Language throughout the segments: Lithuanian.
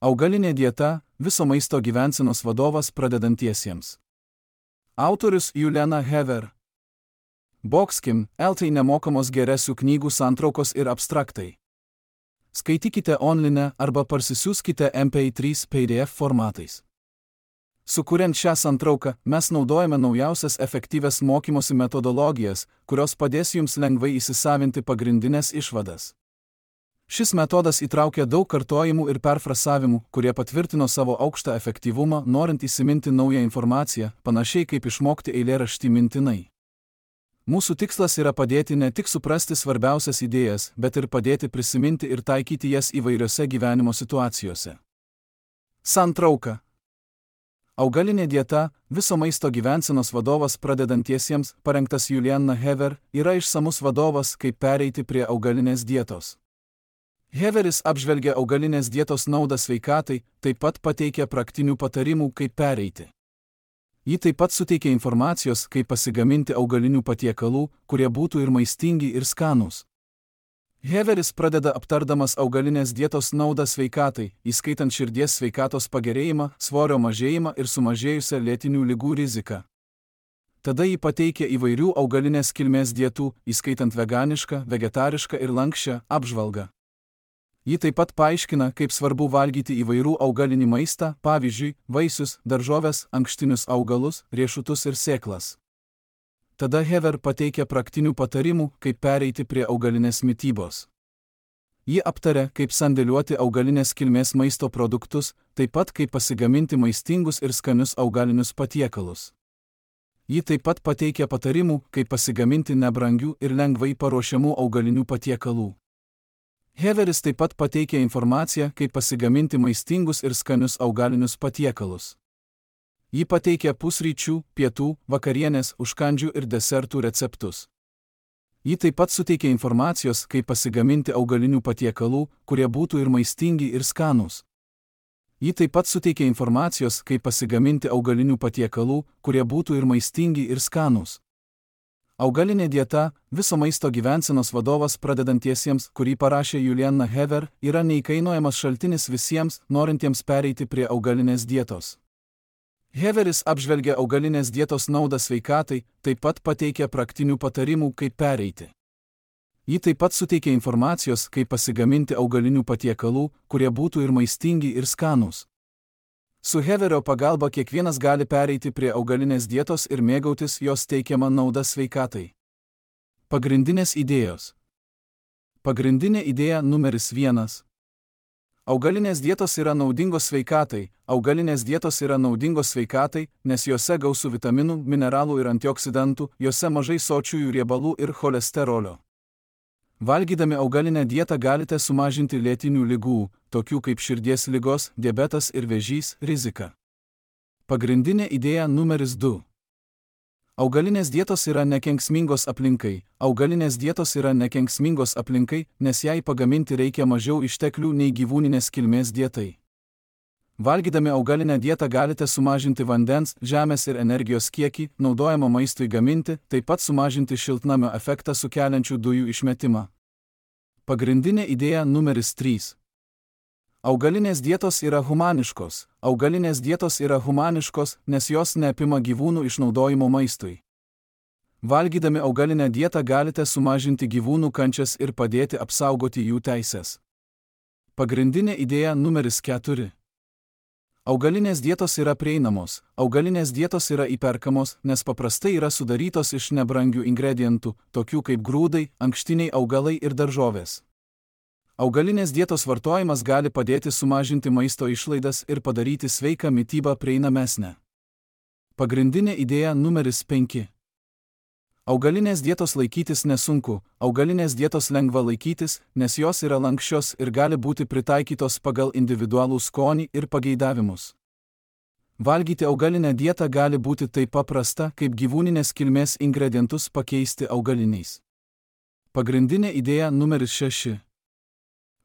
Augalinė dieta – viso maisto gyvensenos vadovas pradedantiesiems. Autorius Juliana Hever. Boxkim, LT nemokamos geresių knygų santraukos ir abstraktai. Skaitykite online arba parsisiųskite MP3 PDF formatais. Sukuriant šią santrauką, mes naudojame naujausias efektyvias mokymosi metodologijas, kurios padės jums lengvai įsisavinti pagrindinės išvadas. Šis metodas įtraukia daug kartojimų ir perfrasavimų, kurie patvirtino savo aukštą efektyvumą, norint įsiminti naują informaciją, panašiai kaip išmokti eilėraštį mintinai. Mūsų tikslas yra padėti ne tik suprasti svarbiausias idėjas, bet ir padėti prisiminti ir taikyti jas įvairiose gyvenimo situacijose. Santrauka. Augalinė dieta – viso maisto gyvensenos vadovas pradedantiesiems, parengtas Juliana Hever, yra išsamus vadovas, kaip pereiti prie augalinės dietos. Heveris apžvelgia augalinės dietos naudą sveikatai, taip pat pateikia praktinių patarimų, kaip pereiti. Ji taip pat suteikia informacijos, kaip pasigaminti augalinių patiekalų, kurie būtų ir maistingi, ir skanūs. Heveris pradeda aptardamas augalinės dietos naudą sveikatai, įskaitant širdies sveikatos pagerėjimą, svorio mažėjimą ir sumažėjusią lėtinių ligų riziką. Tada ji pateikia įvairių augalinės kilmės dietų, įskaitant veganišką, vegetarišką ir lanksčią, apžvalgą. Ji taip pat paaiškina, kaip svarbu valgyti įvairių augalinį maistą, pavyzdžiui, vaisius, daržoves, ankštinius augalus, riešutus ir sėklas. Tada Hever pateikia praktinių patarimų, kaip pereiti prie augalinės mitybos. Ji aptaria, kaip sandėliuoti augalinės kilmės maisto produktus, taip pat kaip pasigaminti maistingus ir skanius augalinius patiekalus. Ji taip pat pateikia patarimų, kaip pasigaminti nebrangių ir lengvai paruošiamų augalinių patiekalų. Heveris taip pat pateikia informaciją, kaip pasigaminti maistingus ir skanius augalinius patiekalus. Ji pateikia pusryčių, pietų, vakarienės, užkandžių ir desertų receptus. Ji taip pat suteikia informacijos, kaip pasigaminti augalinių patiekalų, kurie būtų ir maistingi, ir skanūs. Ji taip pat suteikia informacijos, kaip pasigaminti augalinių patiekalų, kurie būtų ir maistingi, ir skanūs. Augalinė dieta – viso maisto gyvensenos vadovas pradedantiesiems, kurį parašė Juliana Hever, yra neįkainojamas šaltinis visiems, norintiems pereiti prie augalinės dietos. Heveris apžvelgia augalinės dietos naudą sveikatai, taip pat pateikia praktinių patarimų, kaip pereiti. Ji taip pat suteikia informacijos, kaip pasigaminti augalinių patiekalų, kurie būtų ir maistingi, ir skanūs. Su Heverio pagalba kiekvienas gali pereiti prie augalinės dietos ir mėgautis jos teikiamą naudą sveikatai. Pagrindinės idėjos. Pagrindinė idėja numeris 1. Augalinės dietos yra naudingos sveikatai. Augalinės dietos yra naudingos sveikatai, nes jose gausu vitaminų, mineralų ir antioksidantų, jose mažai sočiųjų riebalų ir cholesterolio. Valgydami augalinę dietą galite sumažinti lėtinių ligų, tokių kaip širdies ligos, diabetas ir vėžys, riziką. Pagrindinė idėja numeris 2. Augalinės dietos yra nekenksmingos aplinkai. Augalinės dietos yra nekenksmingos aplinkai, nes jai pagaminti reikia mažiau išteklių nei gyvūninės kilmės dietai. Valgydami augalinę dietą galite sumažinti vandens, žemės ir energijos kiekį, naudojamą maistui gaminti, taip pat sumažinti šiltnamio efektą sukeliančių dujų išmetimą. Pagrindinė idėja numeris 3. Augalinės dietos yra humaniškos. Augalinės dietos yra humaniškos, nes jos neapima gyvūnų išnaudojimo maistui. Valgydami augalinę dietą galite sumažinti gyvūnų kančias ir padėti apsaugoti jų teises. Pagrindinė idėja numeris 4. Augalinės dietos yra prieinamos. Augalinės dietos yra įperkamos, nes paprastai yra sudarytos iš nebrangių ingredientų, tokių kaip grūdai, ankštiniai augalai ir daržovės. Augalinės dietos vartojimas gali padėti sumažinti maisto išlaidas ir padaryti sveiką mitybą prieinamesnę. Pagrindinė idėja numeris 5. Augalinės dietos laikytis nesunku. Augalinės dietos lengva laikytis, nes jos yra lanksčios ir gali būti pritaikytos pagal individualų skonį ir pageidavimus. Valgyti augalinę dietą gali būti taip paprasta, kaip gyvūninės kilmės ingredientus pakeisti augaliniais. Pagrindinė idėja numeris 6.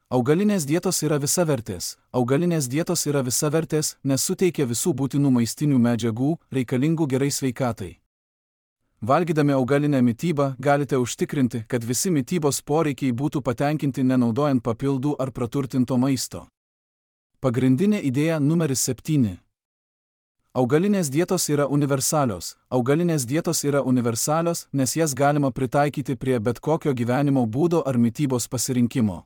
Augalinės dietos yra visavertės. Augalinės dietos yra visavertės, nes suteikia visų būtinų maistinių medžiagų, reikalingų gerai sveikatai. Valgydami augalinę mitybą galite užtikrinti, kad visi mitybos poreikiai būtų patenkinti nenaudojant papildų ar praturtinto maisto. Pagrindinė idėja numeris 7. Augalinės dietos yra universalios. Augalinės dietos yra universalios, nes jas galima pritaikyti prie bet kokio gyvenimo būdo ar mitybos pasirinkimo.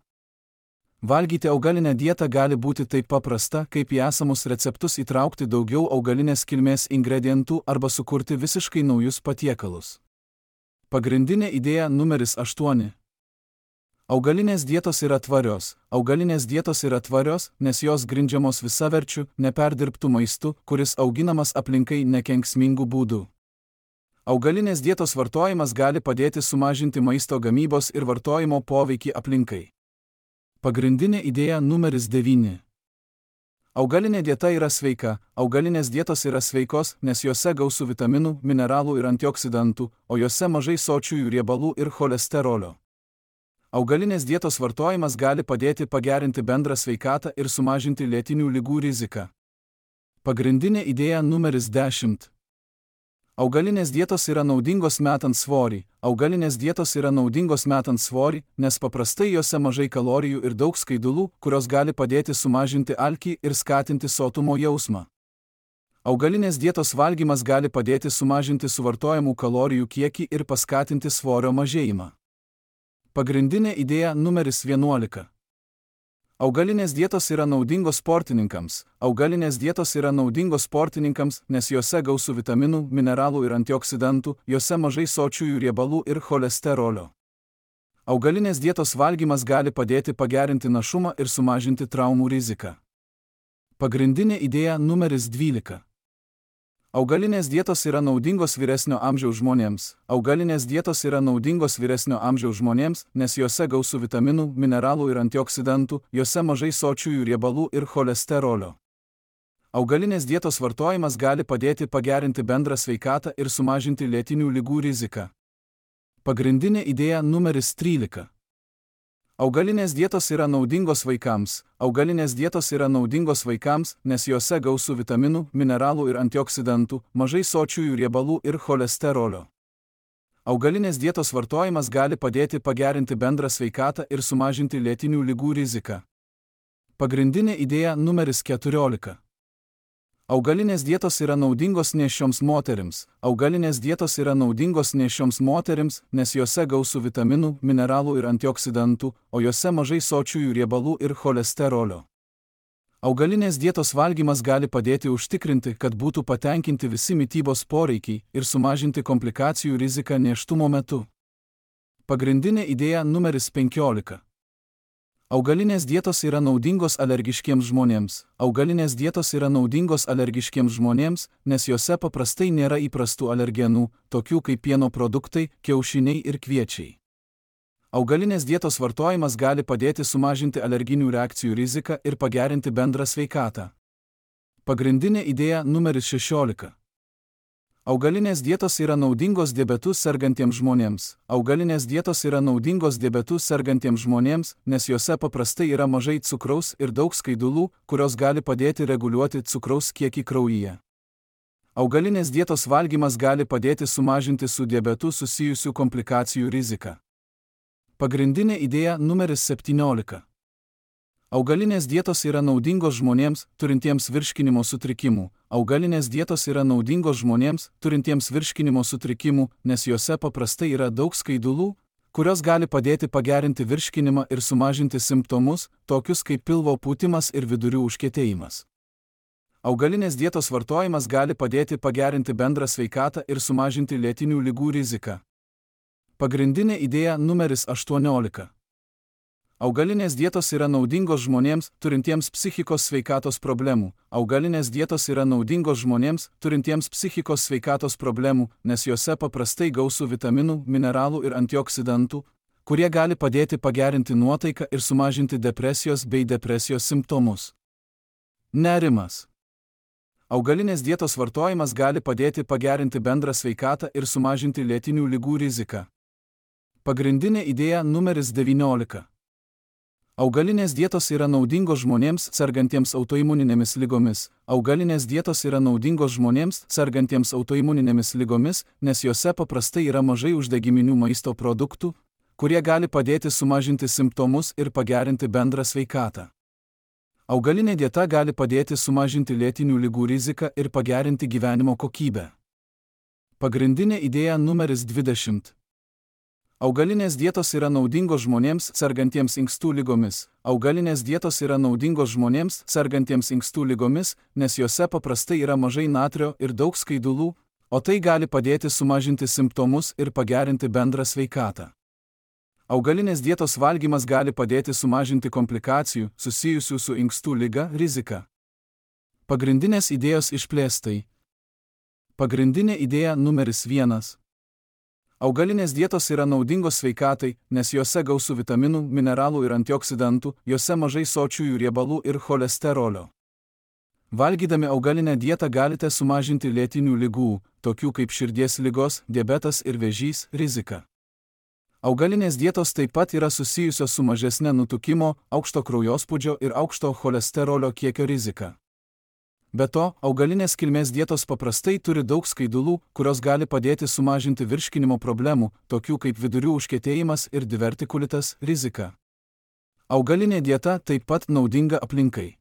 Valgyti augalinę dietą gali būti taip paprasta, kaip į esamus receptus įtraukti daugiau augalinės kilmės ingredientų arba sukurti visiškai naujus patiekalus. Pagrindinė idėja numeris 8. Augalinės dietos yra tvarios. Augalinės dietos yra tvarios, nes jos grindžiamos visaverčiu, neperdirbtų maistu, kuris auginamas aplinkai nekenksmingų būdų. Augalinės dietos vartojimas gali padėti sumažinti maisto gamybos ir vartojimo poveikį aplinkai. Pagrindinė idėja numeris 9. Augalinė dieta yra sveika. Augalinės dietos yra sveikos, nes jose gausu vitaminų, mineralų ir antioksidantų, o jose mažai sočiųjų riebalų ir cholesterolio. Augalinės dietos vartojimas gali padėti pagerinti bendrą sveikatą ir sumažinti lėtinių ligų riziką. Pagrindinė idėja numeris 10. Augalinės dietos yra naudingos metant svorį. Augalinės dietos yra naudingos metant svorį, nes paprastai jose mažai kalorijų ir daug skaidulų, kurios gali padėti sumažinti alkį ir skatinti sotumo jausmą. Augalinės dietos valgymas gali padėti sumažinti suvartojamų kalorijų kiekį ir paskatinti svorio mažėjimą. Pagrindinė idėja numeris 11. Augalinės dietos yra naudingos sportininkams. Augalinės dietos yra naudingos sportininkams, nes jose gausu vitaminų, mineralų ir antioksidantų, jose mažai sočiųjų riebalų ir cholesterolio. Augalinės dietos valgymas gali padėti pagerinti našumą ir sumažinti traumų riziką. Pagrindinė idėja numeris 12. Augalinės dietos yra naudingos vyresnio amžiaus žmonėms. Augalinės dietos yra naudingos vyresnio amžiaus žmonėms, nes jose gausu vitaminų, mineralų ir antioksidantų, jose mažai sočiųjų riebalų ir cholesterolio. Augalinės dietos vartojimas gali padėti pagerinti bendrą sveikatą ir sumažinti lėtinių ligų riziką. Pagrindinė idėja numeris 13. Augalinės dietos yra naudingos vaikams. Augalinės dietos yra naudingos vaikams, nes jose gausu vitaminų, mineralų ir antioksidantų, mažai sočiųjų riebalų ir cholesterolio. Augalinės dietos vartojimas gali padėti pagerinti bendrą sveikatą ir sumažinti lėtinių ligų riziką. Pagrindinė idėja numeris 14. Augalinės dietos yra naudingos nėščioms moterims. Augalinės dietos yra naudingos nėščioms moterims, nes jose gausu vitaminų, mineralų ir antioksidantų, o jose mažai sočiųjų riebalų ir cholesterolio. Augalinės dietos valgymas gali padėti užtikrinti, kad būtų patenkinti visi mitybos poreikiai ir sumažinti komplikacijų riziką nėštumo metu. Pagrindinė idėja numeris 15. Augalinės dietos yra naudingos alergiškiems žmonėms. Augalinės dietos yra naudingos alergiškiems žmonėms, nes jose paprastai nėra įprastų alergenų, tokių kaip pieno produktai, kiaušiniai ir kviečiai. Augalinės dietos vartojimas gali padėti sumažinti alerginių reakcijų riziką ir pagerinti bendrą sveikatą. Pagrindinė idėja numeris 16. Augalinės dietos yra naudingos diabetu sergantiems žmonėms. Augalinės dietos yra naudingos diabetu sergantiems žmonėms, nes jose paprastai yra mažai cukraus ir daug skaidulų, kurios gali padėti reguliuoti cukraus kiekį kraujyje. Augalinės dietos valgymas gali padėti sumažinti su diabetu susijusių komplikacijų riziką. Pagrindinė idėja numeris 17. Augalinės dietos yra naudingos žmonėms, turintiems virškinimo sutrikimų. Augalinės dietos yra naudingos žmonėms, turintiems virškinimo sutrikimų, nes jose paprastai yra daug skaidulų, kurios gali padėti pagerinti virškinimą ir sumažinti simptomus, tokius kaip pilvo pūtimas ir vidurių užkietėjimas. Augalinės dietos vartojimas gali padėti pagerinti bendrą sveikatą ir sumažinti lėtinių ligų riziką. Pagrindinė idėja numeris 18. Augalinės dietos yra naudingos žmonėms, turintiems psichikos sveikatos problemų. Augalinės dietos yra naudingos žmonėms, turintiems psichikos sveikatos problemų, nes jose paprastai gausu vitaminų, mineralų ir antioksidantų, kurie gali padėti pagerinti nuotaiką ir sumažinti depresijos bei depresijos simptomus. Nerimas. Augalinės dietos vartojimas gali padėti pagerinti bendrą sveikatą ir sumažinti lėtinių ligų riziką. Pagrindinė idėja numeris 19. Augalinės dietos yra naudingos žmonėms sergantiems autoimuninėmis ligomis. Augalinės dietos yra naudingos žmonėms sergantiems autoimuninėmis ligomis, nes jose paprastai yra mažai uždegiminių maisto produktų, kurie gali padėti sumažinti simptomus ir pagerinti bendrą sveikatą. Augalinė dieta gali padėti sumažinti lėtinių ligų riziką ir pagerinti gyvenimo kokybę. Pagrindinė idėja numeris 20. Augalinės dietos yra naudingos žmonėms sergantiems inkstų ligomis. Augalinės dietos yra naudingos žmonėms sergantiems inkstų ligomis, nes jose paprastai yra mažai natrio ir daug skaidulų, o tai gali padėti sumažinti simptomus ir pagerinti bendrą sveikatą. Augalinės dietos valgymas gali padėti sumažinti komplikacijų susijusių su inkstų liga riziką. Pagrindinės idėjos išplėstai. Pagrindinė idėja numeris 1. Augalinės dietos yra naudingos sveikatai, nes jose gausu vitaminų, mineralų ir antioksidantų, jose mažai sočiųjų riebalų ir cholesterolio. Valgydami augalinę dietą galite sumažinti lėtinių ligų, tokių kaip širdies ligos, diabetas ir vėžys, riziką. Augalinės dietos taip pat yra susijusios su mažesne nutukimo, aukšto kraujospūdžio ir aukšto cholesterolio kiekio rizika. Be to, augalinės kilmės dietos paprastai turi daug skaidulų, kurios gali padėti sumažinti virškinimo problemų, tokių kaip vidurių užkietėjimas ir divertikulitas, rizika. Augalinė dieta taip pat naudinga aplinkai.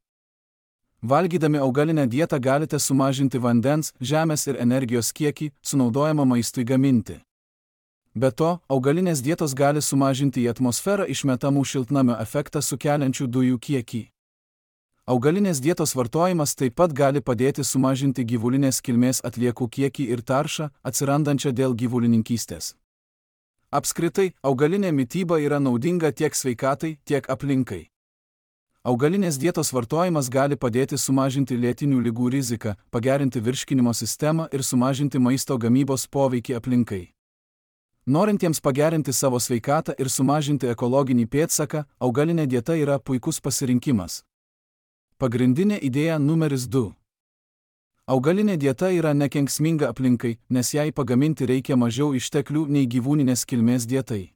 Valgydami augalinę dietą galite sumažinti vandens, žemės ir energijos kiekį, sunaudojamą maistui gaminti. Be to, augalinės dietos gali sumažinti į atmosferą išmetamų šiltnamio efektą sukeliančių dujų kiekį. Augalinės dietos vartojimas taip pat gali padėti sumažinti gyvulinės kilmės atliekų kiekį ir taršą, atsirandančią dėl gyvulininkystės. Apskritai, augalinė mityba yra naudinga tiek sveikatai, tiek aplinkai. Augalinės dietos vartojimas gali padėti sumažinti lėtinių ligų riziką, pagerinti virškinimo sistemą ir sumažinti maisto gamybos poveikį aplinkai. Norintiems pagerinti savo sveikatą ir sumažinti ekologinį pėdsaką, augalinė dieta yra puikus pasirinkimas. Pagrindinė idėja numeris 2. Augalinė dieta yra nekenksminga aplinkai, nes jai pagaminti reikia mažiau išteklių nei gyvūninės kilmės dietai.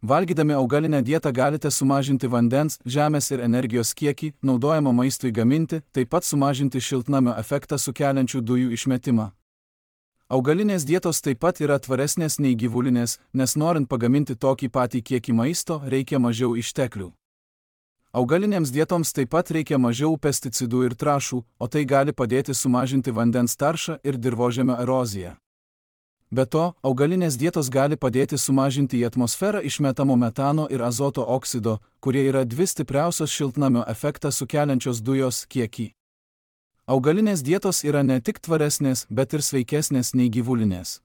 Valgydami augalinę dietą galite sumažinti vandens, žemės ir energijos kiekį, naudojamą maistui gaminti, taip pat sumažinti šiltnamio efektą sukeliančių dujų išmetimą. Augalinės dietos taip pat yra tvaresnės nei gyvulinės, nes norint pagaminti tokį patį kiekį maisto, reikia mažiau išteklių. Augalinėms dietoms taip pat reikia mažiau pesticidų ir trąšų, o tai gali padėti sumažinti vandens taršą ir dirvožemio eroziją. Be to, augalinės dietos gali padėti sumažinti į atmosferą išmetamo metano ir azoto oksido, kurie yra dvi stipriausios šiltnamio efektą sukeliančios dujos, kiekį. Augalinės dietos yra ne tik tvaresnės, bet ir sveikesnės nei gyvulinės.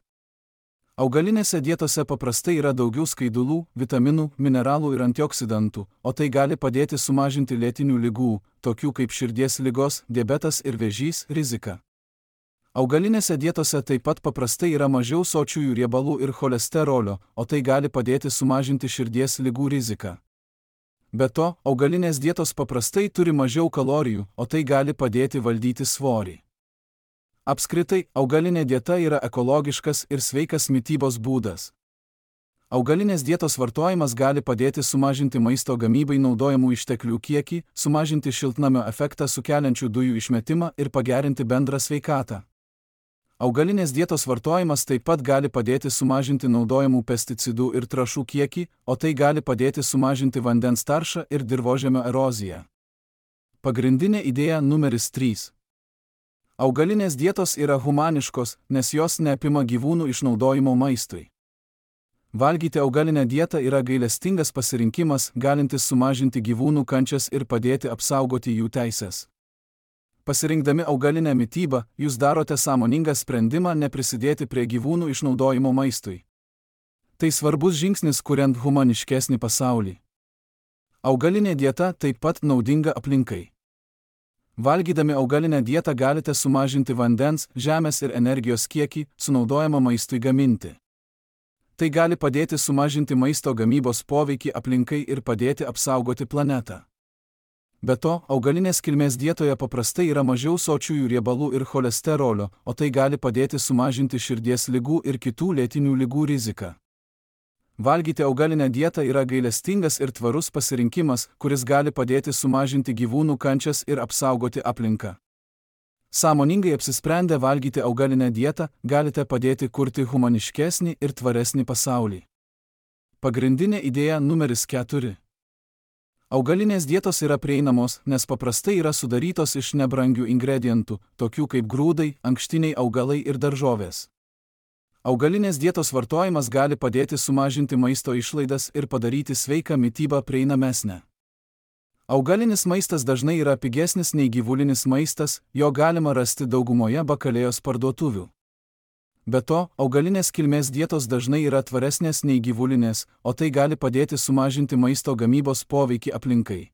Augalinėse dietose paprastai yra daugiau skaidulų, vitaminų, mineralų ir antioksidantų, o tai gali padėti sumažinti lėtinių ligų, tokių kaip širdies ligos, diabetas ir vėžys, riziką. Augalinėse dietose taip pat paprastai yra mažiau sočiųjų riebalų ir cholesterolio, o tai gali padėti sumažinti širdies ligų riziką. Be to, augalinės dietos paprastai turi mažiau kalorijų, o tai gali padėti valdyti svorį. Apskritai, augalinė dieta yra ekologiškas ir sveikas mitybos būdas. Augalinės dietos vartojimas gali padėti sumažinti maisto gamybai naudojamų išteklių kiekį, sumažinti šiltnamio efektą sukeliančių dujų išmetimą ir pagerinti bendrą sveikatą. Augalinės dietos vartojimas taip pat gali padėti sumažinti naudojamų pesticidų ir trąšų kiekį, o tai gali padėti sumažinti vandens taršą ir dirvožemio eroziją. Pagrindinė idėja numeris 3. Augalinės dietos yra humaniškos, nes jos neapima gyvūnų išnaudojimo maistui. Valgyti augalinę dietą yra gailestingas pasirinkimas, galintis sumažinti gyvūnų kančias ir padėti apsaugoti jų teises. Pasirinkdami augalinę mitybą, jūs darote sąmoningą sprendimą neprisidėti prie gyvūnų išnaudojimo maistui. Tai svarbus žingsnis, kuriant humaniškesnį pasaulį. Augalinė dieta taip pat naudinga aplinkai. Valgydami augalinę dietą galite sumažinti vandens, žemės ir energijos kiekį, sunaudojamą maistui gaminti. Tai gali padėti sumažinti maisto gamybos poveikį aplinkai ir padėti apsaugoti planetą. Be to, augalinės kilmės dietoje paprastai yra mažiau sočiųjų riebalų ir cholesterolio, o tai gali padėti sumažinti širdies ligų ir kitų lėtinių ligų riziką. Valgyti augalinę dietą yra gailestingas ir tvarus pasirinkimas, kuris gali padėti sumažinti gyvūnų kančias ir apsaugoti aplinką. Sąmoningai apsisprendę valgyti augalinę dietą, galite padėti kurti humaniškesnį ir tvaresnį pasaulį. Pagrindinė idėja numeris 4. Augalinės dietos yra prieinamos, nes paprastai yra sudarytos iš nebrangių ingredientų, tokių kaip grūdai, ankštiniai augalai ir daržovės. Augalinės dietos vartojimas gali padėti sumažinti maisto išlaidas ir padaryti sveiką mitybą prieinamesnę. Augalinis maistas dažnai yra pigesnis nei gyvulinis maistas, jo galima rasti daugumoje bakalėjos parduotuvių. Be to, augalinės kilmės dietos dažnai yra tvaresnės nei gyvulinės, o tai gali padėti sumažinti maisto gamybos poveikį aplinkai.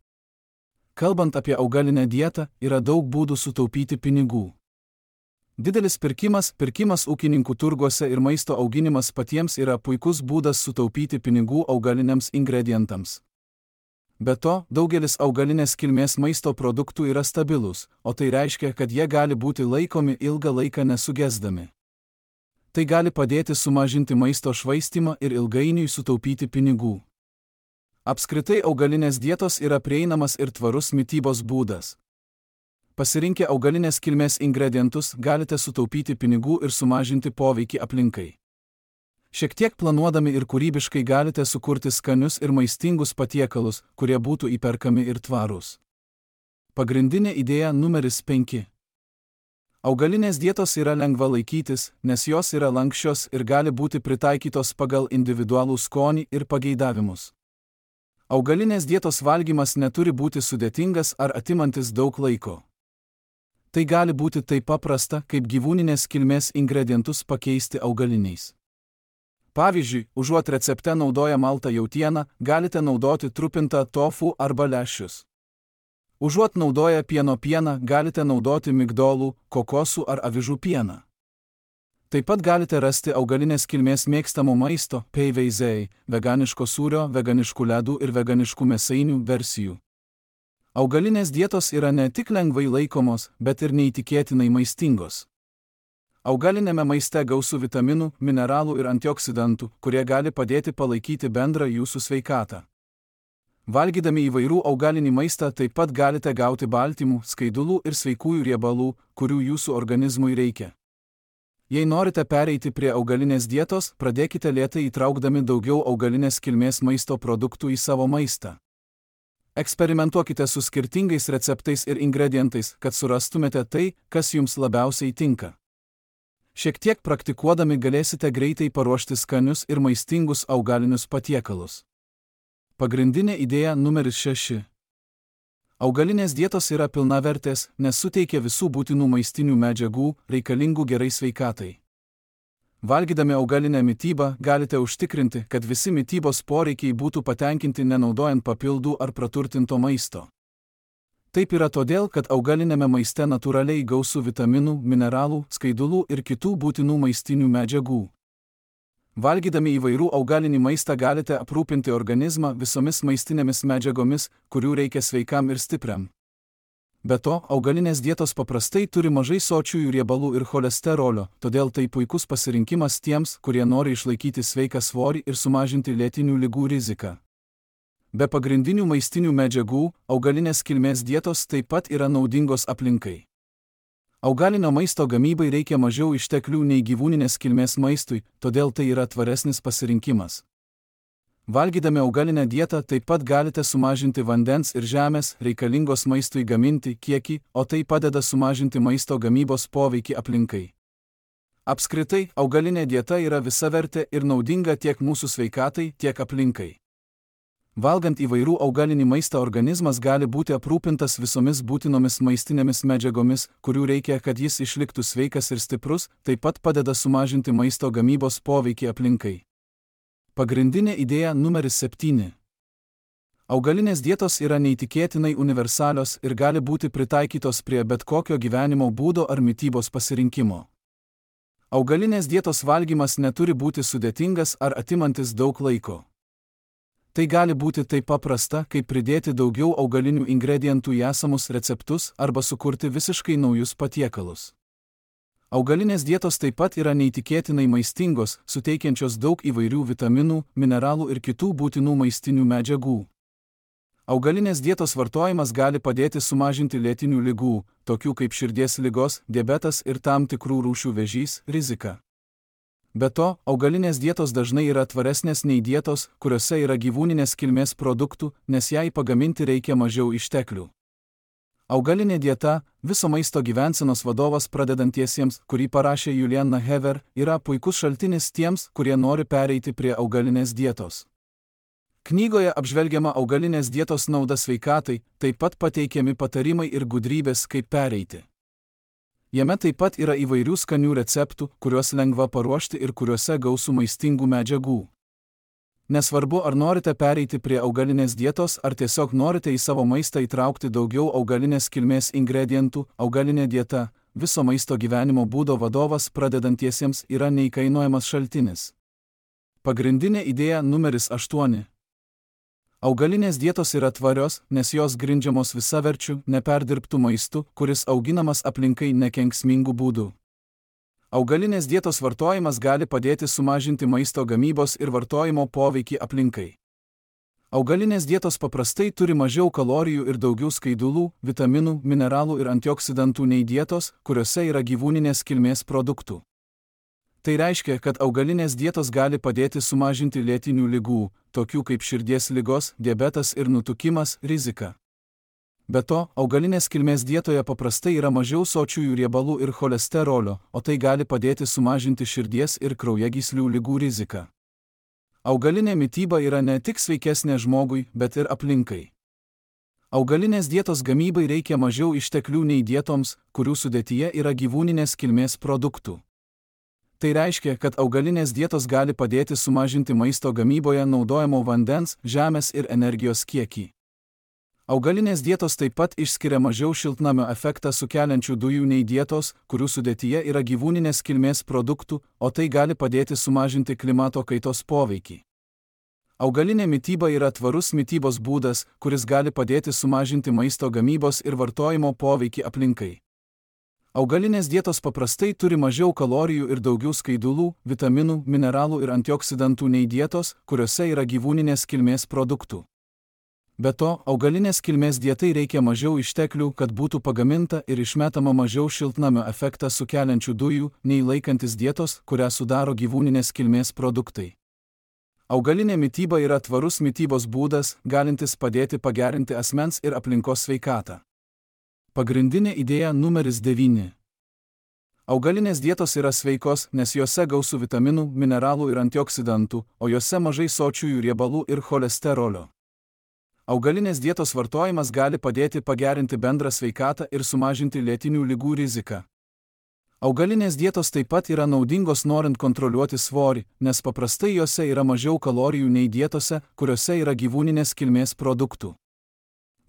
Kalbant apie augalinę dietą, yra daug būdų sutaupyti pinigų. Didelis pirkimas ūkininkų turguose ir maisto auginimas patiems yra puikus būdas sutaupyti pinigų augaliniams ingredientams. Be to, daugelis augalinės kilmės maisto produktų yra stabilūs, o tai reiškia, kad jie gali būti laikomi ilgą laiką nesugesdami. Tai gali padėti sumažinti maisto švaistymą ir ilgainiui sutaupyti pinigų. Apskritai augalinės dietos yra prieinamas ir tvarus mitybos būdas. Pasirinkę augalinės kilmės ingredientus galite sutaupyti pinigų ir sumažinti poveikį aplinkai. Šiek tiek planuodami ir kūrybiškai galite sukurti skanius ir maistingus patiekalus, kurie būtų įperkami ir tvarūs. Pagrindinė idėja numeris 5. Augalinės dietos yra lengva laikytis, nes jos yra lanksčios ir gali būti pritaikytos pagal individualų skonį ir pageidavimus. Augalinės dietos valgymas neturi būti sudėtingas ar atimantis daug laiko. Tai gali būti taip paprasta, kaip gyvūninės kilmės ingredientus pakeisti augaliniais. Pavyzdžiui, užuot recepte naudoję maltą jautieną, galite naudoti trupintą tofu arba lęšius. Užuot naudoję pieno pieną, galite naudoti migdolų, kokosų ar avižų pieną. Taip pat galite rasti augalinės kilmės mėgstamų maisto, PVZ, veganiško sūrio, veganiškų ledų ir veganiškų mėsainių versijų. Augalinės dietos yra ne tik lengvai laikomos, bet ir neįtikėtinai maistingos. Augalinėme maiste gausu vitaminų, mineralų ir antioksidantų, kurie gali padėti palaikyti bendrą jūsų sveikatą. Valgydami įvairių augalinį maistą taip pat galite gauti baltymų, skaidulų ir sveikųjų riebalų, kurių jūsų organizmui reikia. Jei norite pereiti prie augalinės dietos, pradėkite lėtai įtraukdami daugiau augalinės kilmės maisto produktų į savo maistą. Eksperimentuokite su skirtingais receptais ir ingredientais, kad surastumėte tai, kas jums labiausiai tinka. Šiek tiek praktikuodami galėsite greitai paruošti skanius ir maistingus augalinius patiekalus. Pagrindinė idėja numeris 6. Augalinės dietos yra pilnavertės, nes suteikia visų būtinų maistinių medžiagų, reikalingų gerai sveikatai. Valgydami augalinę mitybą galite užtikrinti, kad visi mitybos poreikiai būtų patenkinti nenaudojant papildų ar praturtinto maisto. Taip yra todėl, kad augalinėme maiste natūraliai gausu vitaminų, mineralų, skaidulų ir kitų būtinų maistinių medžiagų. Valgydami įvairių augalinį maistą galite aprūpinti organizmą visomis maistinėmis medžiagomis, kurių reikia sveikam ir stipriam. Be to, augalinės dietos paprastai turi mažai sočiųjų riebalų ir cholesterolio, todėl tai puikus pasirinkimas tiems, kurie nori išlaikyti sveiką svorį ir sumažinti lėtinių ligų riziką. Be pagrindinių maistinių medžiagų, augalinės kilmės dietos taip pat yra naudingos aplinkai. Augalinio maisto gamybai reikia mažiau išteklių nei gyvūninės kilmės maistui, todėl tai yra tvaresnis pasirinkimas. Valgydami augalinę dietą taip pat galite sumažinti vandens ir žemės reikalingos maistui gaminti kiekį, o tai padeda sumažinti maisto gamybos poveikį aplinkai. Apskritai, augalinė dieta yra visavertė ir naudinga tiek mūsų sveikatai, tiek aplinkai. Valgant įvairių augalinį maistą organizmas gali būti aprūpintas visomis būtinomis maistinėmis medžiagomis, kurių reikia, kad jis išliktų sveikas ir stiprus, taip pat padeda sumažinti maisto gamybos poveikį aplinkai. Pagrindinė idėja numeris 7. Augalinės dietos yra neįtikėtinai universalios ir gali būti pritaikytos prie bet kokio gyvenimo būdo ar mitybos pasirinkimo. Augalinės dietos valgymas neturi būti sudėtingas ar atimantis daug laiko. Tai gali būti taip paprasta, kaip pridėti daugiau augalinių ingredientų į esamus receptus arba sukurti visiškai naujus patiekalus. Augalinės dietos taip pat yra neįtikėtinai maistingos, suteikiančios daug įvairių vitaminų, mineralų ir kitų būtinų maistinių medžiagų. Augalinės dietos vartojimas gali padėti sumažinti lėtinių ligų, tokių kaip širdies ligos, diabetas ir tam tikrų rūšių vėžys, riziką. Be to, augalinės dietos dažnai yra tvaresnės nei dietos, kuriuose yra gyvūninės kilmės produktų, nes jai pagaminti reikia mažiau išteklių. Augalinė dieta – viso maisto gyvensenos vadovas pradedantiesiems, kurį parašė Juliana Hever, yra puikus šaltinis tiems, kurie nori pereiti prie augalinės dietos. Knygoje apžvelgiama augalinės dietos nauda sveikatai, taip pat pateikiami patarimai ir gudrybės, kaip pereiti. Jame taip pat yra įvairių skanių receptų, kuriuos lengva paruošti ir kuriuose gausu maistingų medžiagų. Nesvarbu, ar norite pereiti prie augalinės dietos, ar tiesiog norite į savo maistą įtraukti daugiau augalinės kilmės ingredientų, augalinė dieta, viso maisto gyvenimo būdo vadovas pradedantiesiems yra neįkainojamas šaltinis. Pagrindinė idėja numeris 8. Augalinės dietos yra tvarios, nes jos grindžiamos visaverčiu, neperdirbtų maistu, kuris auginamas aplinkai nekenksmingų būdų. Augalinės dietos vartojimas gali padėti sumažinti maisto gamybos ir vartojimo poveikį aplinkai. Augalinės dietos paprastai turi mažiau kalorijų ir daugiau skaidulų, vitaminų, mineralų ir antioksidantų nei dietos, kuriuose yra gyvūninės kilmės produktų. Tai reiškia, kad augalinės dietos gali padėti sumažinti lėtinių ligų, tokių kaip širdies ligos, diabetas ir nutukimas, riziką. Be to, augalinės kilmės dietoje paprastai yra mažiau sočiųjų riebalų ir cholesterolio, o tai gali padėti sumažinti širdies ir kraujagyslių ligų riziką. Augalinė mityba yra ne tik sveikesnė žmogui, bet ir aplinkai. Augalinės dietos gamybai reikia mažiau išteklių nei dietoms, kurių sudėtyje yra gyvūninės kilmės produktų. Tai reiškia, kad augalinės dietos gali padėti sumažinti maisto gamyboje naudojamo vandens, žemės ir energijos kiekį. Augalinės dietos taip pat išskiria mažiau šiltnamio efektą sukeliančių dujų nei dietos, kurių sudėtyje yra gyvūninės kilmės produktų, o tai gali padėti sumažinti klimato kaitos poveikį. Augalinė mityba yra tvarus mitybos būdas, kuris gali padėti sumažinti maisto gamybos ir vartojimo poveikį aplinkai. Augalinės dietos paprastai turi mažiau kalorijų ir daugiau skaidulų, vitaminų, mineralų ir antioksidantų nei dietos, kuriuose yra gyvūninės kilmės produktų. Be to, augalinės kilmės dietai reikia mažiau išteklių, kad būtų pagaminta ir išmetama mažiau šiltnamio efektą sukeliančių dujų, nei laikantis dietos, kurią sudaro gyvūninės kilmės produktai. Augalinė mityba yra tvarus mitybos būdas, galintis padėti pagerinti asmens ir aplinkos sveikatą. Pagrindinė idėja numeris 9. Augalinės dietos yra sveikos, nes juose gausu vitaminų, mineralų ir antioksidantų, o juose mažai sočiųjų riebalų ir cholesterolio. Augalinės dietos vartojimas gali padėti pagerinti bendrą sveikatą ir sumažinti lėtinių ligų riziką. Augalinės dietos taip pat yra naudingos norint kontroliuoti svorį, nes paprastai juose yra mažiau kalorijų nei dietose, kuriuose yra gyvūninės kilmės produktų.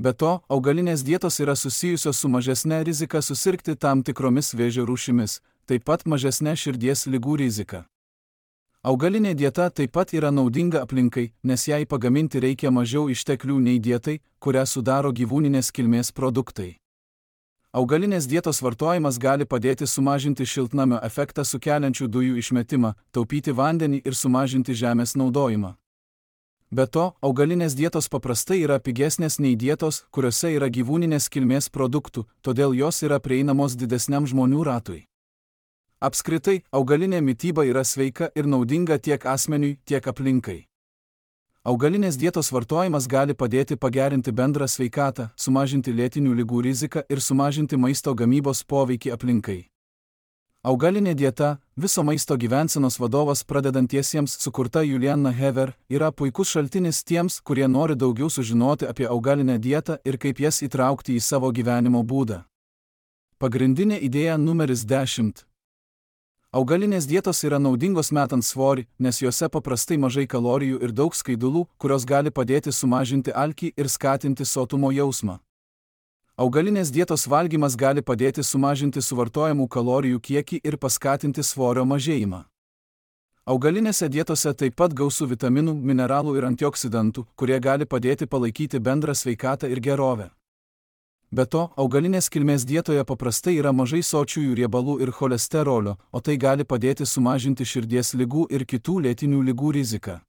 Be to, augalinės dietos yra susijusios su mažesne rizika susirgti tam tikromis vėžio rūšimis, taip pat mažesne širdies ligų rizika. Augalinė dieta taip pat yra naudinga aplinkai, nes jai pagaminti reikia mažiau išteklių nei dietai, kurią sudaro gyvūninės kilmės produktai. Augalinės dietos vartojimas gali padėti sumažinti šiltnamio efektą sukeliančių dujų išmetimą, taupyti vandenį ir sumažinti žemės naudojimą. Be to, augalinės dietos paprastai yra pigesnės nei dietos, kuriuose yra gyvūninės kilmės produktų, todėl jos yra prieinamos didesniam žmonių ratui. Apskritai, augalinė mityba yra sveika ir naudinga tiek asmeniui, tiek aplinkai. Augalinės dietos vartojimas gali padėti pagerinti bendrą sveikatą, sumažinti lėtinių ligų riziką ir sumažinti maisto gamybos poveikį aplinkai. Augalinė dieta, viso maisto gyvensenos vadovas pradedantiesiems sukurta Juliana Hever, yra puikus šaltinis tiems, kurie nori daugiau sužinoti apie augalinę dietą ir kaip jas įtraukti į savo gyvenimo būdą. Pagrindinė idėja numeris 10. Augalinės dietos yra naudingos metant svorį, nes juose paprastai mažai kalorijų ir daug skaidulų, kurios gali padėti sumažinti alkį ir skatinti sotumo jausmą. Augalinės dietos valgymas gali padėti sumažinti suvartojamų kalorijų kiekį ir paskatinti svorio mažėjimą. Augalinėse dietose taip pat gausu vitaminų, mineralų ir antioksidantų, kurie gali padėti palaikyti bendrą sveikatą ir gerovę. Be to, augalinės kilmės dietoje paprastai yra mažai sočiųjų riebalų ir cholesterolio, o tai gali padėti sumažinti širdies ligų ir kitų lėtinių ligų riziką.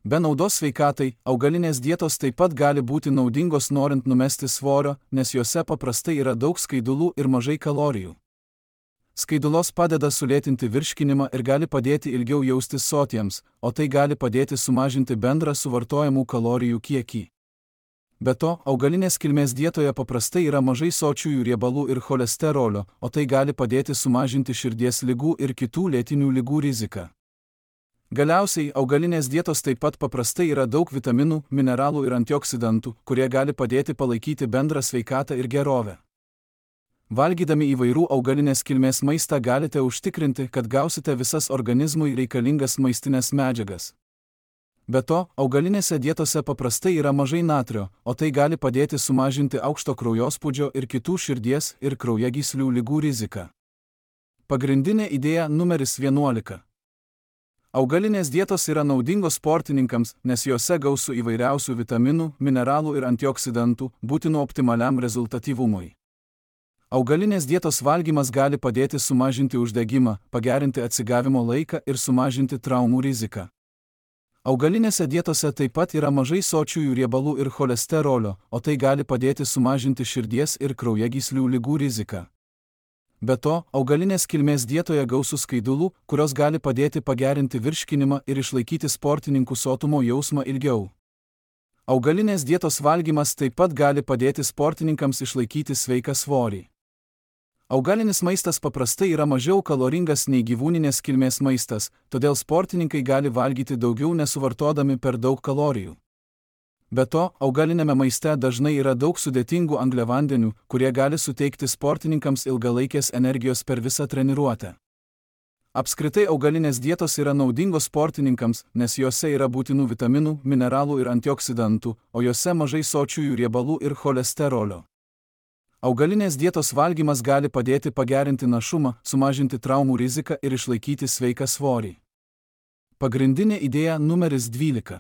Be naudos sveikatai, augalinės dietos taip pat gali būti naudingos norint numesti svorio, nes juose paprastai yra daug skaidulų ir mažai kalorijų. Skaidulos padeda sulėtinti virškinimą ir gali padėti ilgiau jaustis sotiems, o tai gali padėti sumažinti bendrą suvartojamų kalorijų kiekį. Be to, augalinės kilmės dietoje paprastai yra mažai sočiųjų riebalų ir cholesterolio, o tai gali padėti sumažinti širdies ligų ir kitų lėtinių ligų riziką. Galiausiai, augalinės dietos taip pat paprastai yra daug vitaminų, mineralų ir antioksidantų, kurie gali padėti palaikyti bendrą sveikatą ir gerovę. Valgydami įvairių augalinės kilmės maistą galite užtikrinti, kad gausite visas organizmui reikalingas maistinės medžiagas. Be to, augalinėse dietose paprastai yra mažai natrio, o tai gali padėti sumažinti aukšto kraujospūdžio ir kitų širdies ir kraujagyslių ligų riziką. Pagrindinė idėja numeris 11. Augalinės dietos yra naudingos sportininkams, nes jose gausu įvairiausių vitaminų, mineralų ir antioksidantų, būtinų optimaliam rezultatyvumui. Augalinės dietos valgymas gali padėti sumažinti uždegimą, pagerinti atsigavimo laiką ir sumažinti traumų riziką. Augalinėse dietose taip pat yra mažai sočiųjų riebalų ir cholesterolio, o tai gali padėti sumažinti širdies ir kraujagyslių ligų riziką. Be to, augalinės kilmės dietoje gausu skaidulų, kurios gali padėti pagerinti virškinimą ir išlaikyti sportininkų sotumo jausmą ilgiau. Augalinės dietos valgymas taip pat gali padėti sportininkams išlaikyti sveiką svorį. Augalinis maistas paprastai yra mažiau kaloringas nei gyvūninės kilmės maistas, todėl sportininkai gali valgyti daugiau nesuvartodami per daug kalorijų. Be to, augalinėme maiste dažnai yra daug sudėtingų angliavandenių, kurie gali suteikti sportininkams ilgalaikės energijos per visą treniruotę. Apskritai augalinės dietos yra naudingos sportininkams, nes jose yra būtinų vitaminų, mineralų ir antioksidantų, o jose mažai sočiųjų riebalų ir cholesterolio. Augalinės dietos valgymas gali padėti pagerinti našumą, sumažinti traumų riziką ir išlaikyti sveiką svorį. Pagrindinė idėja numeris 12.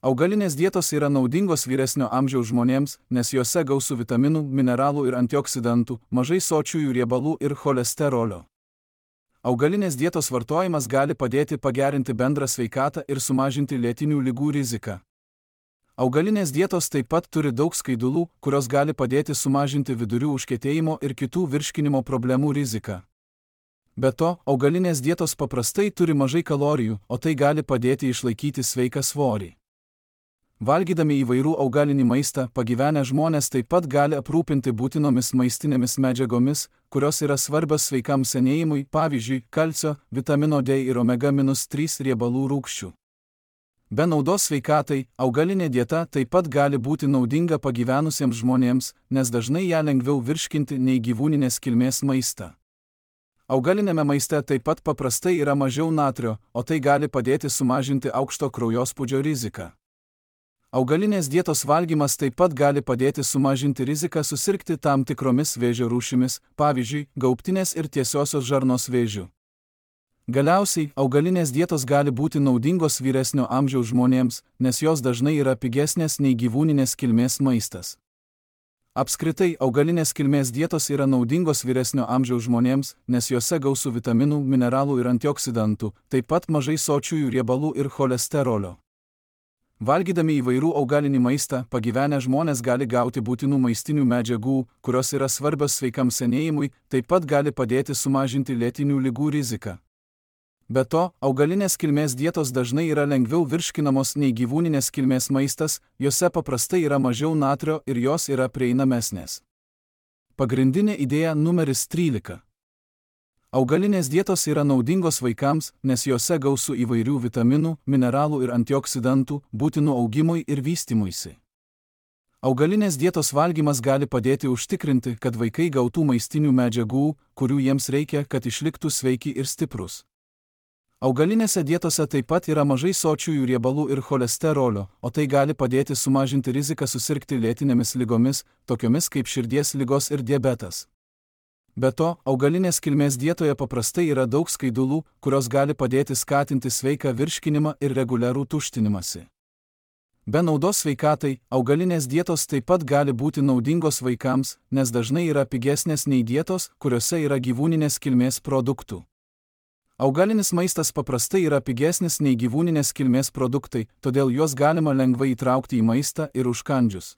Augalinės dietos yra naudingos vyresnio amžiaus žmonėms, nes jose gausu vitaminų, mineralų ir antioksidantų, mažai sočiųjų riebalų ir cholesterolio. Augalinės dietos vartojimas gali padėti pagerinti bendrą sveikatą ir sumažinti lėtinių ligų riziką. Augalinės dietos taip pat turi daug skaidulų, kurios gali padėti sumažinti vidurių užkietėjimo ir kitų virškinimo problemų riziką. Be to, augalinės dietos paprastai turi mažai kalorijų, o tai gali padėti išlaikyti sveiką svorį. Valgydami įvairių augalinį maistą, pagyvenę žmonės taip pat gali aprūpinti būtinomis maistinėmis medžiagomis, kurios yra svarbios sveikam senėjimui, pavyzdžiui, kalcio, vitamino D ir omega-3 riebalų rūgščių. Be naudos sveikatai, augalinė dieta taip pat gali būti naudinga pagyvenusiems žmonėms, nes dažnai ją lengviau virškinti nei gyvūninės kilmės maistą. Augalinėme maiste taip pat paprastai yra mažiau natrio, o tai gali padėti sumažinti aukšto kraujospūdžio riziką. Augalinės dietos valgymas taip pat gali padėti sumažinti riziką susirgti tam tikromis vėžio rūšimis, pavyzdžiui, gaubtinės ir tiesiosios žarnos vėžiu. Galiausiai, augalinės dietos gali būti naudingos vyresnio amžiaus žmonėms, nes jos dažnai yra pigesnės nei gyvūninės kilmės maistas. Apskritai, augalinės kilmės dietos yra naudingos vyresnio amžiaus žmonėms, nes jose gausu vitaminų, mineralų ir antioksidantų, taip pat mažai sočiųjų riebalų ir cholesterolio. Valgydami įvairių augalinį maistą, pagyvenę žmonės gali gauti būtinų maistinių medžiagų, kurios yra svarbios sveikam senėjimui, taip pat gali padėti sumažinti lėtinių ligų riziką. Be to, augalinės kilmės dietos dažnai yra lengviau virškinamos nei gyvūninės kilmės maistas, jose paprastai yra mažiau natrio ir jos yra prieinamesnės. Pagrindinė idėja numeris 13. Augalinės dietos yra naudingos vaikams, nes jose gausu įvairių vitaminų, mineralų ir antioksidantų, būtinų augimui ir vystymuisi. Augalinės dietos valgymas gali padėti užtikrinti, kad vaikai gautų maistinių medžiagų, kurių jiems reikia, kad išliktų sveiki ir stiprus. Augalinėse dietose taip pat yra mažai sočiųjų riebalų ir cholesterolio, o tai gali padėti sumažinti riziką susirgti lėtinėmis ligomis, tokiomis kaip širdies ligos ir diabetas. Be to, augalinės kilmės dietoje paprastai yra daug skaidulų, kurios gali padėti skatinti sveiką virškinimą ir reguliarų tuštinimąsi. Be naudos sveikatai, augalinės dietos taip pat gali būti naudingos vaikams, nes dažnai yra pigesnės nei dietos, kuriuose yra gyvūninės kilmės produktų. Augalinis maistas paprastai yra pigesnis nei gyvūninės kilmės produktai, todėl juos galima lengvai įtraukti į maistą ir užkandžius.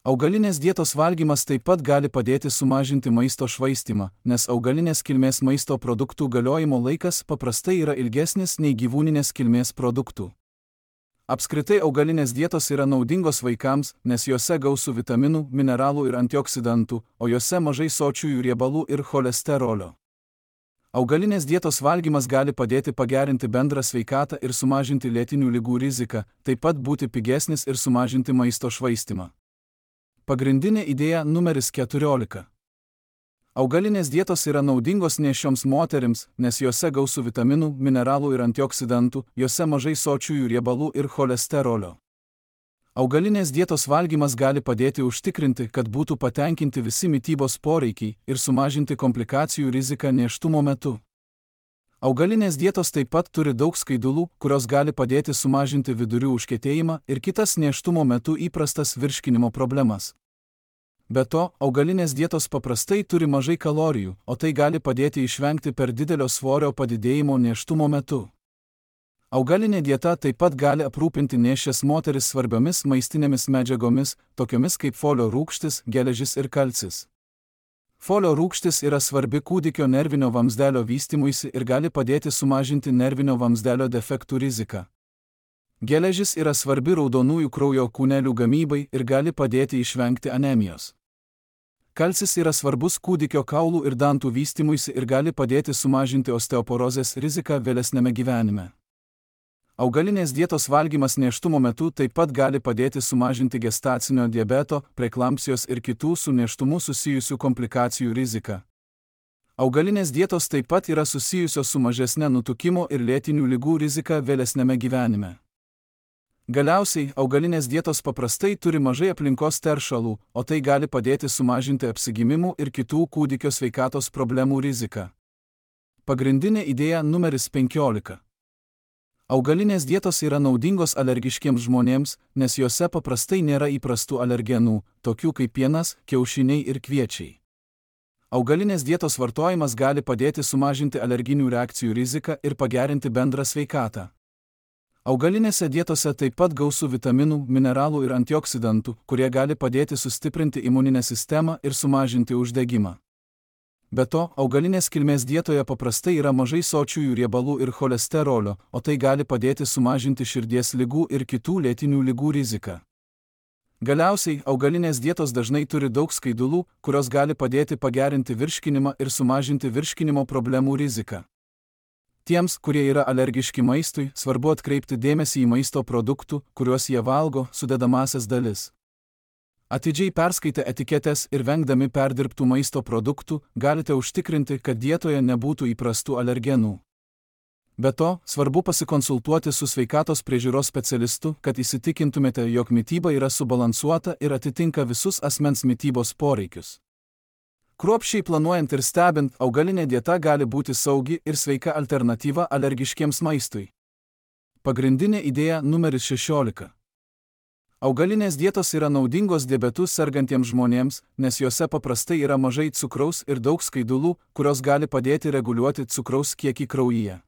Augalinės dietos valgymas taip pat gali padėti sumažinti maisto švaistymą, nes augalinės kilmės maisto produktų galiojimo laikas paprastai yra ilgesnis nei gyvūninės kilmės produktų. Apskritai augalinės dietos yra naudingos vaikams, nes juose gausu vitaminų, mineralų ir antioksidantų, o juose mažai sočiųjų riebalų ir cholesterolio. Augalinės dietos valgymas gali padėti pagerinti bendrą sveikatą ir sumažinti lėtinių ligų riziką, taip pat būti pigesnis ir sumažinti maisto švaistymą. Pagrindinė idėja numeris 14. Augalinės dietos yra naudingos nėščioms moterims, nes juose gausu vitaminų, mineralų ir antioksidantų, juose mažai sočiųjų riebalų ir cholesterolio. Augalinės dietos valgymas gali padėti užtikrinti, kad būtų patenkinti visi mitybos poreikiai ir sumažinti komplikacijų riziką nėštumo metu. Augalinės dietos taip pat turi daug skaidulų, kurios gali padėti sumažinti vidurių užkietėjimą ir kitas nėštumo metu įprastas virškinimo problemas. Be to, augalinės dietos paprastai turi mažai kalorijų, o tai gali padėti išvengti per didelio svorio padidėjimo nėštumo metu. Augalinė dieta taip pat gali aprūpinti nėščias moteris svarbiomis maistinėmis medžiagomis, tokiomis kaip folio rūgštis, geležis ir kalcis. Folio rūgštis yra svarbi kūdikio nervinio vamzdelio vystymuisi ir gali padėti sumažinti nervinio vamzdelio defektų riziką. Geležis yra svarbi raudonųjų kraujo kūnelių gamybai ir gali padėti išvengti anemijos. Kalcis yra svarbus kūdikio kaulų ir dantų vystymuisi ir gali padėti sumažinti osteoporozės riziką vėlesnėme gyvenime. Augalinės dietos valgymas nėštumo metu taip pat gali padėti sumažinti gestacinio diabeto, preeklampsijos ir kitų su nėštumu susijusių komplikacijų riziką. Augalinės dietos taip pat yra susijusios su mažesne nutukimo ir lėtinių ligų rizika vėlesnėme gyvenime. Galiausiai, augalinės dietos paprastai turi mažai aplinkos teršalų, o tai gali padėti sumažinti apsigimimų ir kitų kūdikio sveikatos problemų riziką. Pagrindinė idėja numeris 15. Augalinės dietos yra naudingos alergiškiems žmonėms, nes juose paprastai nėra įprastų alergenų, tokių kaip pienas, kiaušiniai ir kviečiai. Augalinės dietos vartojimas gali padėti sumažinti alerginių reakcijų riziką ir pagerinti bendrą sveikatą. Augalinėse dietose taip pat gausu vitaminų, mineralų ir antioksidantų, kurie gali padėti sustiprinti imuninę sistemą ir sumažinti uždegimą. Be to, augalinės kilmės dietoje paprastai yra mažai sočiųjų riebalų ir cholesterolio, o tai gali padėti sumažinti širdies ligų ir kitų lėtinių ligų riziką. Galiausiai, augalinės dietos dažnai turi daug skaidulų, kurios gali padėti pagerinti virškinimą ir sumažinti virškinimo problemų riziką. Tiems, kurie yra alergiški maistui, svarbu atkreipti dėmesį į maisto produktų, kuriuos jie valgo, sudedamąsias dalis. Atidžiai perskaitę etiketes ir vengdami perdirbtų maisto produktų, galite užtikrinti, kad dietoje nebūtų įprastų alergenų. Be to, svarbu pasikonsultuoti su sveikatos priežiūros specialistu, kad įsitikintumėte, jog mityba yra subalansuota ir atitinka visus asmens mitybos poreikius. Kruopščiai planuojant ir stebint, augalinė dieta gali būti saugi ir sveika alternatyva alergiškiems maistui. Pagrindinė idėja numeris 16. Augalinės dietos yra naudingos diabetu sergantiems žmonėms, nes juose paprastai yra mažai cukraus ir daug skaidulų, kurios gali padėti reguliuoti cukraus kiekį kraujyje.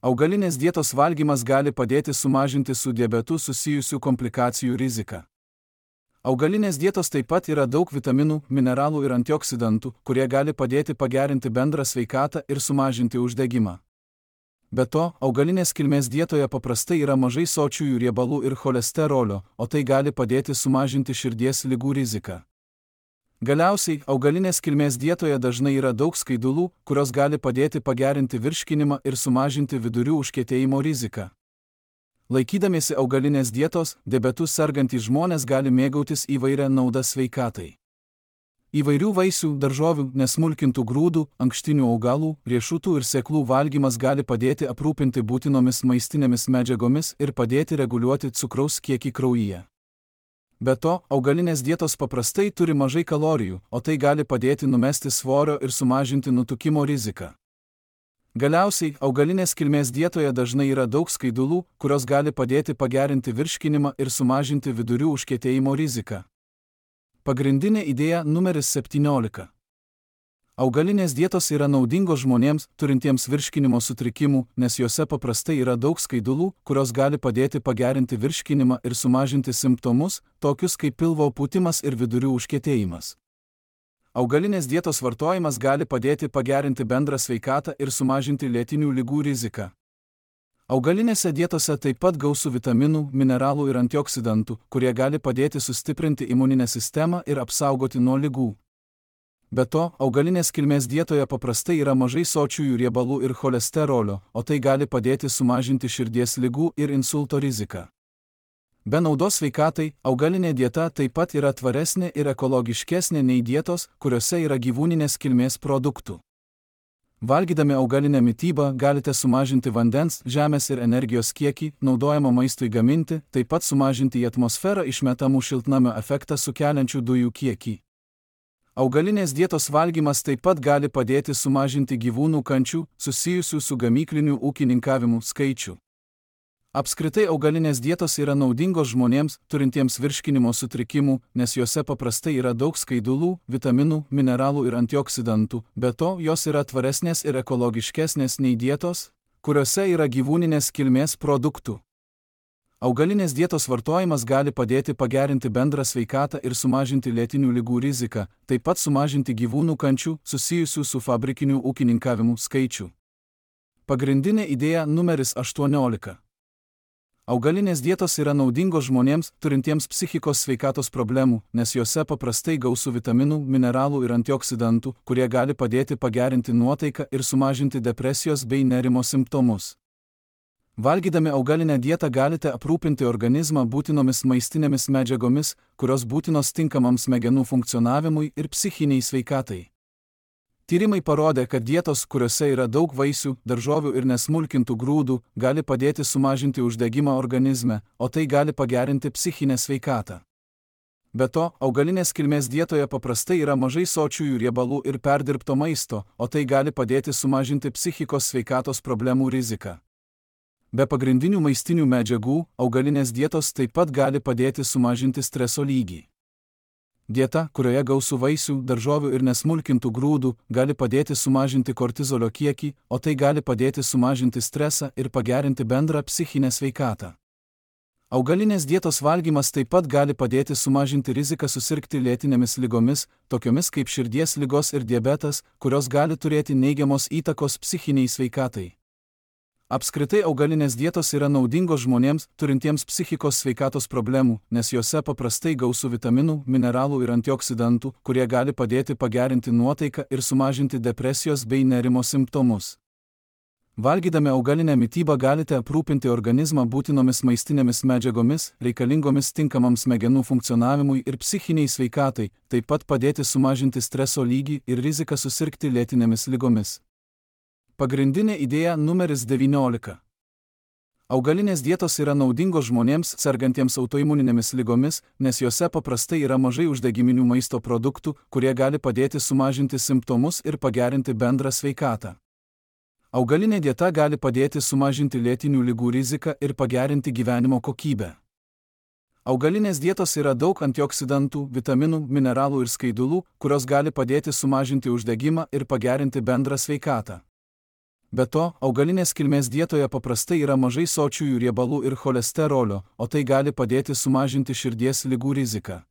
Augalinės dietos valgymas gali padėti sumažinti su diabetu susijusių komplikacijų riziką. Augalinės dietos taip pat yra daug vitaminų, mineralų ir antioksidantų, kurie gali padėti pagerinti bendrą sveikatą ir sumažinti uždegimą. Be to, augalinės kilmės dietoje paprastai yra mažai sočiųjų riebalų ir cholesterolio, o tai gali padėti sumažinti širdies ligų riziką. Galiausiai, augalinės kilmės dietoje dažnai yra daug skaidulų, kurios gali padėti pagerinti virškinimą ir sumažinti vidurių užkietėjimo riziką. Laikydamiesi augalinės dietos, diabetu sergantys žmonės gali mėgautis įvairią naudą sveikatai. Įvairių vaisių, daržovių, nesmulkintų grūdų, ankštinių augalų, riešutų ir sėklų valgymas gali padėti aprūpinti būtinomis maistinėmis medžiagomis ir padėti reguliuoti cukraus kiekį kraujyje. Be to, augalinės dietos paprastai turi mažai kalorijų, o tai gali padėti numesti svorio ir sumažinti nutukimo riziką. Galiausiai, augalinės kilmės dietoje dažnai yra daug skaidulų, kurios gali padėti pagerinti virškinimą ir sumažinti vidurių užkietėjimo riziką. Pagrindinė idėja numeris 17. Augalinės dietos yra naudingos žmonėms, turintiems virškinimo sutrikimų, nes juose paprastai yra daug skaidulų, kurios gali padėti pagerinti virškinimą ir sumažinti simptomus, tokius kaip pilvo pūtimas ir vidurių užkietėjimas. Augalinės dietos vartojimas gali padėti pagerinti bendrą sveikatą ir sumažinti lėtinių ligų riziką. Augalinėse dietose taip pat gausu vitaminų, mineralų ir antioksidantų, kurie gali padėti sustiprinti imuninę sistemą ir apsaugoti nuo ligų. Be to, augalinės kilmės dietoje paprastai yra mažai sočiųjų riebalų ir cholesterolio, o tai gali padėti sumažinti širdies ligų ir insulto riziką. Be naudos sveikatai, augalinė dieta taip pat yra tvaresnė ir ekologiškesnė nei dietos, kuriuose yra gyvūninės kilmės produktų. Valgydami augalinę mitybą galite sumažinti vandens, žemės ir energijos kiekį, naudojamą maistui gaminti, taip pat sumažinti į atmosferą išmetamų šiltnamio efektą sukeliančių dujų kiekį. Augalinės dietos valgymas taip pat gali padėti sumažinti gyvūnų kančių, susijusių su gamykliniu ūkininkavimu, skaičių. Apskritai augalinės dietos yra naudingos žmonėms, turintiems virškinimo sutrikimų, nes juose paprastai yra daug skaidulų, vitaminų, mineralų ir antioksidantų, be to jos yra tvaresnės ir ekologiškesnės nei dietos, kuriuose yra gyvūninės kilmės produktų. Augalinės dietos vartojimas gali padėti pagerinti bendrą sveikatą ir sumažinti lėtinių ligų riziką, taip pat sumažinti gyvūnų kančių, susijusių su fabrikiniu ūkininkavimu, skaičių. Pagrindinė idėja numeris 18. Augalinės dietos yra naudingos žmonėms, turintiems psichikos sveikatos problemų, nes juose paprastai gausu vitaminų, mineralų ir antioksidantų, kurie gali padėti pagerinti nuotaiką ir sumažinti depresijos bei nerimo simptomus. Valgydami augalinę dietą galite aprūpinti organizmą būtinomis maistinėmis medžiagomis, kurios būtinos tinkamam smegenų funkcionavimui ir psichiniai sveikatai. Tyrimai parodė, kad dietos, kuriuose yra daug vaisių, daržovių ir nesmulkintų grūdų, gali padėti sumažinti uždegimą organizme, o tai gali pagerinti psichinę sveikatą. Be to, augalinės kilmės dietoje paprastai yra mažai sočiųjų riebalų ir perdirbto maisto, o tai gali padėti sumažinti psichikos sveikatos problemų riziką. Be pagrindinių maistinių medžiagų, augalinės dietos taip pat gali padėti sumažinti streso lygį. Dieta, kurioje gausu vaisių, daržovių ir nesmulkintų grūdų, gali padėti sumažinti kortizolio kiekį, o tai gali padėti sumažinti stresą ir pagerinti bendrą psichinę sveikatą. Augalinės dietos valgymas taip pat gali padėti sumažinti riziką susirgti lėtinėmis ligomis, tokiomis kaip širdies ligos ir diabetas, kurios gali turėti neigiamos įtakos psichiniai sveikatai. Apskritai augalinės dietos yra naudingos žmonėms, turintiems psichikos sveikatos problemų, nes juose paprastai gausu vitaminų, mineralų ir antioksidantų, kurie gali padėti pagerinti nuotaiką ir sumažinti depresijos bei nerimo simptomus. Valgydami augalinę mitybą galite aprūpinti organizmą būtinomis maistinėmis medžiagomis, reikalingomis tinkamam smegenų funkcionavimui ir psichiniai sveikatai, taip pat padėti sumažinti streso lygį ir riziką susirgti lėtinėmis ligomis. Pagrindinė idėja numeris 19. Augalinės dietos yra naudingos žmonėms, sergantiems autoimuninėmis ligomis, nes juose paprastai yra mažai uždegiminių maisto produktų, kurie gali padėti sumažinti simptomus ir pagerinti bendrą sveikatą. Augalinė dieta gali padėti sumažinti lėtinių ligų riziką ir pagerinti gyvenimo kokybę. Augalinės dietos yra daug antioksidantų, vitaminų, mineralų ir skaidulų, kurios gali padėti sumažinti uždegimą ir pagerinti bendrą sveikatą. Be to, augalinės kilmės dietoje paprastai yra mažai sočiųjų riebalų ir cholesterolio, o tai gali padėti sumažinti širdies ligų riziką.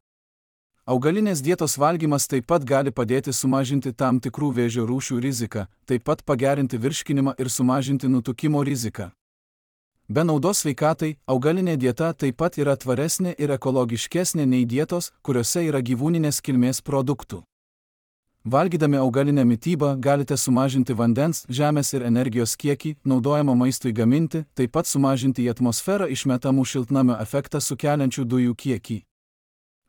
Augalinės dietos valgymas taip pat gali padėti sumažinti tam tikrų vėžio rūšių riziką, taip pat pagerinti virškinimą ir sumažinti nutukimo riziką. Be naudos sveikatai, augalinė dieta taip pat yra tvaresnė ir ekologiškesnė nei dietos, kuriuose yra gyvūninės kilmės produktų. Valgydami augalinę mitybą galite sumažinti vandens, žemės ir energijos kiekį, naudojamą maistui gaminti, taip pat sumažinti į atmosferą išmetamų šiltnamio efektą sukeliančių dujų kiekį.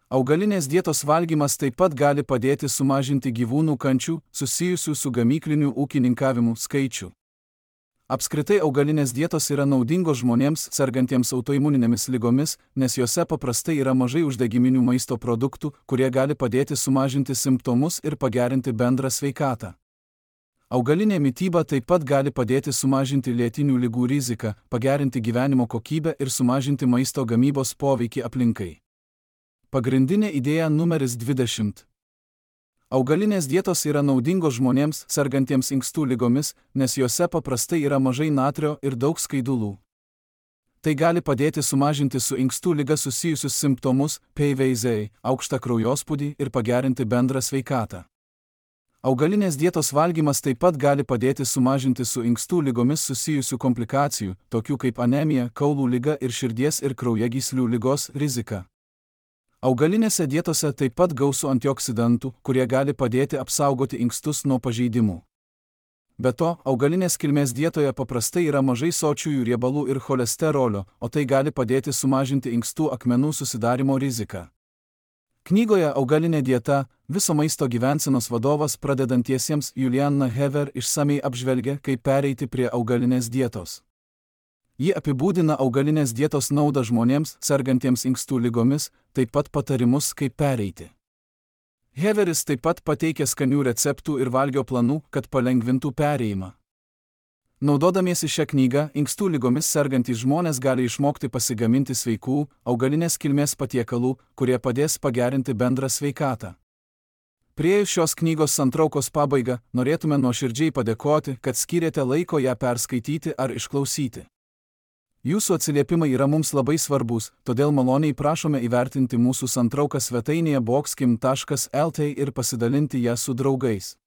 Augalinės dietos valgymas taip pat gali padėti sumažinti gyvūnų kančių, susijusių su gamykliniu ūkininkavimu, skaičių. Apskritai augalinės dietos yra naudingos žmonėms, sergantiems autoimuninėmis ligomis, nes juose paprastai yra mažai uždegiminių maisto produktų, kurie gali padėti sumažinti simptomus ir pagerinti bendrą sveikatą. Augalinė mityba taip pat gali padėti sumažinti lėtinių ligų riziką, pagerinti gyvenimo kokybę ir sumažinti maisto gamybos poveikį aplinkai. Pagrindinė idėja numeris 20. Augalinės dietos yra naudingos žmonėms sergantiems inkstų ligomis, nes juose paprastai yra mažai natrio ir daug skaidulų. Tai gali padėti sumažinti su inkstų liga susijusius simptomus, PVZ, aukštą kraujospūdį ir pagerinti bendrą sveikatą. Augalinės dietos valgymas taip pat gali padėti sumažinti su inkstų ligomis susijusių komplikacijų, tokių kaip anemija, kaulų liga ir širdies ir kraujagyslių ligos riziką. Augalinėse dietose taip pat gausu antioksidantų, kurie gali padėti apsaugoti inkstus nuo pažeidimų. Be to, augalinės kilmės dietoje paprastai yra mažai sočiųjų riebalų ir cholesterolio, o tai gali padėti sumažinti inkstų akmenų susidarimo riziką. Knygoje Augalinė dieta – viso maisto gyvensenos vadovas pradedantiesiems Juliana Hever išsamiai apžvelgia, kaip pereiti prie augalinės dietos. Ji apibūdina augalinės dietos naudą žmonėms sergantiems inkstų ligomis, taip pat patarimus, kaip pereiti. Heveris taip pat pateikia skanių receptų ir valgio planų, kad palengvintų perėjimą. Naudodamiesi šią knygą, inkstų ligomis sergantys žmonės gali išmokti pasigaminti sveikų, augalinės kilmės patiekalų, kurie padės pagerinti bendrą sveikatą. Priėjus šios knygos santraukos pabaigą, norėtume nuoširdžiai padėkoti, kad skyrėte laiko ją perskaityti ar išklausyti. Jūsų atsiliepimai yra mums labai svarbus, todėl maloniai prašome įvertinti mūsų santrauką svetainėje boxkim.lt ir pasidalinti ją su draugais.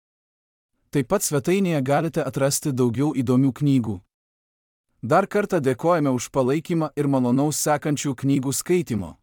Taip pat svetainėje galite atrasti daugiau įdomių knygų. Dar kartą dėkojame už palaikymą ir malonaus sekančių knygų skaitimo.